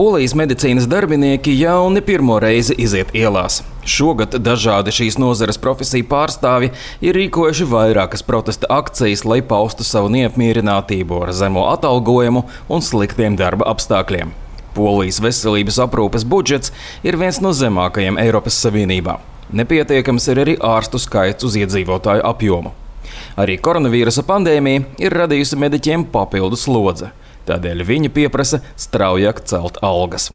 Polijas medicīnas darbinieki jau ne pirmo reizi iziet ielās. Šogad dažādi šīs nozares profesiju pārstāvji ir rīkojuši vairākas protesta akcijas, lai paustu savu neapmierinātību ar zemo atalgojumu un sliktiem darba apstākļiem. Polijas veselības aprūpes budžets ir viens no zemākajiem Eiropas Savienībā. Nepietiekams ir arī ārstu skaits uz iedzīvotāju apjomu. Arī koronavīrusa pandēmija ir radījusi mediķiem papildu slodzi. Tādēļ viņi pieprasa straujāk celt algas.